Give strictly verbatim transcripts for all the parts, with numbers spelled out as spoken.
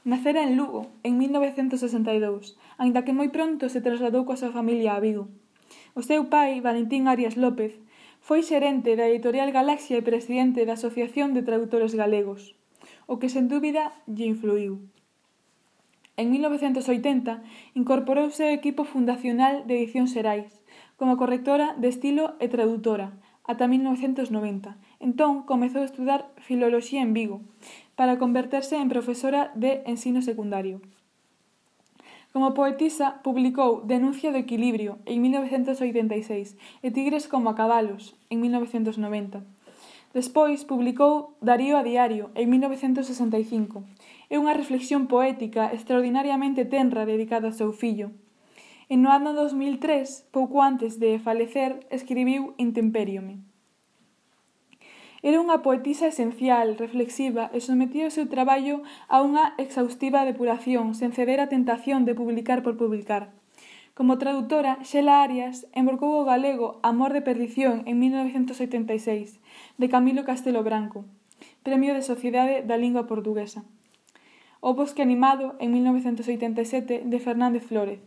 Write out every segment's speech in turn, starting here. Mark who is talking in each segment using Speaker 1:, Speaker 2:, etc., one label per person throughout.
Speaker 1: Nacera en Lugo, en mil novecentos sesenta e dous, aínda que moi pronto se trasladou coa súa familia a Vigo. O seu pai, Valentín Arias López, foi xerente da editorial Galaxia e presidente da Asociación de Traductores Galegos, o que sen dúbida lle influíu. En mil novecentos oitenta incorporouse ao equipo fundacional de Edicións Xerais, como correctora de estilo e tradutora, ata mil novecentos noventa. Entón, comezou a estudar Filoloxía en Vigo, para converterse en profesora de ensino secundario. Como poetisa, publicou Denuncia do equilibrio, en mil novecentos oitenta e seis, e Tigres como a cabalos, en mil novecentos noventa. Despois, publicou Darío a diario, en mil novecentos sesenta e cinco. É unha reflexión poética extraordinariamente tenra dedicada ao seu fillo. E no ano dos mil tres, pouco antes de falecer, escribiu Intempériome. Era unha poetisa esencial, reflexiva e sometía o seu traballo a unha exhaustiva depuración sen ceder á tentación de publicar por publicar. Como traductora, Xela Arias embarcou o galego Amor de perdición en mil novecentos oitenta e seis, de Camilo Castelo Branco, Premio de Sociedade da Lingua Portuguesa. O Bosque animado en mil novecentos oitenta e sete, de Fernández Flórez.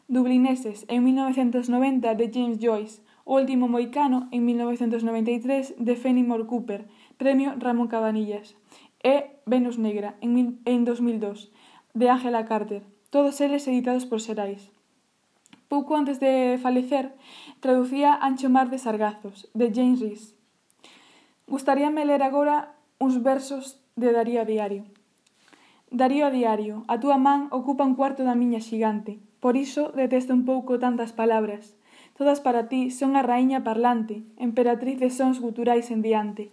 Speaker 1: Dublineses en mil novecentos noventa, de James Joyce. O último moicano, en mil novecentos noventa e tres, de Fenimore Cooper, Premio Ramón Cabanillas, e Venus Negra, en, mil, en dos mil dos, de Ángela Carter, todos eles editados por Xerais. Pouco antes de falecer, traducía Ancho mar de sargazos, de James Rees. Gustaríame ler agora uns versos de Darío a diario. Darío a diario, a túa man ocupa un cuarto da miña xigante, por iso detesto un pouco tantas palabras. Todas para ti son a raíña parlante, emperatriz de sons guturais en diante.